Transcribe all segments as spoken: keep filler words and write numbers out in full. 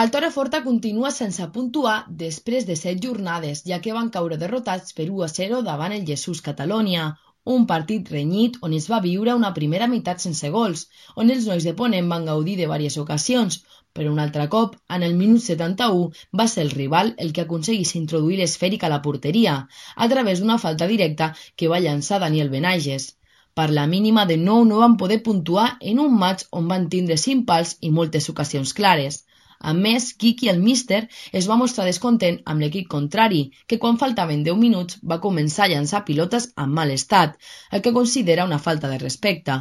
El Torreforta continua sense puntuar després de set jornades, ja que van caure derrotats per u a zero davant el Jesús Catalonia, un partit renyit on es va viure una primera meitat sense gols, on els nois de Ponent van gaudir de diverses ocasions, però un altre cop, en el minut setanta-u, va ser el rival el que aconseguís introduir l'esfèric a la porteria, a través d'una falta directa que va llançar Daniel Benages. Per la mínima de nou no van poder puntuar en un maig on van tindre cinc pals i moltes ocasions clares. A més, Quiqui, el míster, es va mostrar descontent amb l'equip contrari, que quan faltaven deu minuts va començar a llançar pilotes en mal estat, el que considera una falta de respecte.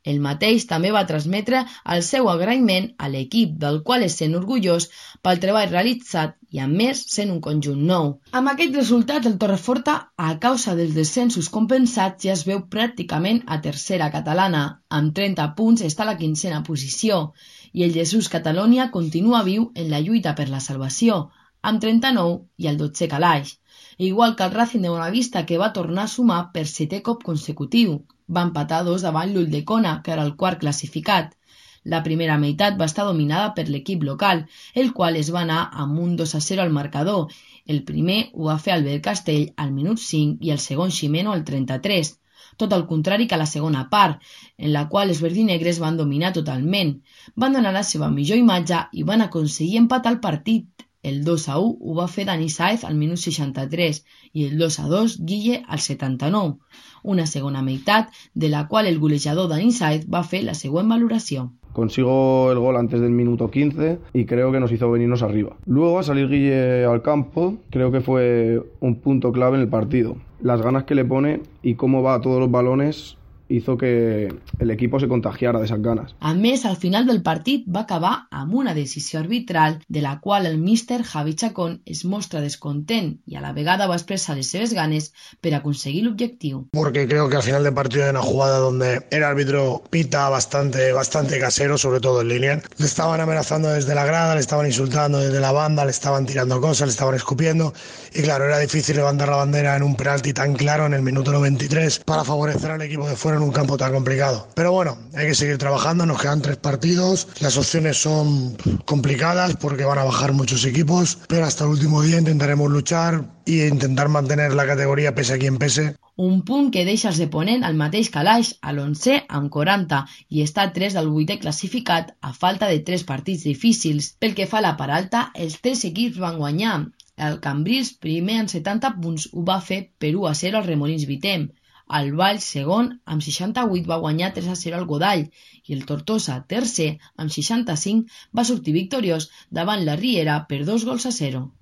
El mateix també va transmetre el seu agraïment a l'equip, del qual es sent orgullós pel treball realitzat i, a més, sent un conjunt nou. Amb aquest resultat, el Torreforta, a causa dels descensos compensats, ja es veu pràcticament a tercera catalana. Amb trenta punts està a la quinzena posició i el Jesús Catalonia continua viu en la lluita per la salvació, amb trenta-nou i el dotzè calaix. Igual que el Racing de Bonavista, que va tornar a sumar per setè cop consecutiu. Va empatar dos davant l'Ulldecona, que era el quart classificat. La primera meitat va estar dominada per l'equip local, el qual es va anar amb un dos a zero al marcador. El primer ho va fer Albert Castell al minut cinc i el segon Ximeno al trenta-tres. Tot el contrari que a la segona part, en la qual els verdinegres van dominar totalment. Van donar la seva millor imatge i van aconseguir empatar el partit. El dos a u ho va fer Dani Sáez al minut seixanta-tres i el dos a dos Guille al setanta-nou. Una segona meitat de la qual el golejador Dani Sáez va fer la següent valoració. Consigo el gol antes del minuto quince y creo que nos hizo venirnos arriba. Luego, a salir Guille al campo, creo que fue un punto clave en el partido. Las ganas que le pone y cómo va a todos los balones hizo que el equipo se contagiara de esas ganas. A més, al final del partit va acabar amb una decisió arbitral de la qual el míster Javi Chacón es mostra descontent y a la vegada va expressar les seves ganes per aconseguir l'objectiu. Porque creo que al final del partido hay una jugada donde el árbitro pita bastante, bastante casero, sobre todo en línea. Le estaban amenazando desde la grada, le estaban insultando desde la banda, le estaban tirando cosas, le estaban escupiendo. Y claro, era difícil levantar la bandera en un penalti tan claro en el minuto noventa y tres para favorecer al equipo de fuera en un campo tan complicado. Pero bueno, hay que seguir trabajando, nos quedan tres partidos, las opciones son complicadas porque van a bajar muchos equipos, pero hasta el último día intentaremos luchar e intentar mantener la categoría pese a quien pese. Un punt que deixa els de Ponent al mateix calaix, a l'onzè amb quaranta, i està a tres del vuitè classificat a falta de tres partits difícils. Pel que fa a la part alta, els tres equips van guanyar. El Cambrils, primer amb setanta punts, ho va fer per u a zero al Remolins Vitem. El Valls, segon, amb seixanta-vuit va guanyar tres a zero al Godall i el Tortosa, tercer, amb seixanta-cinc, va sortir victoriós davant la Riera per dos gols a zero.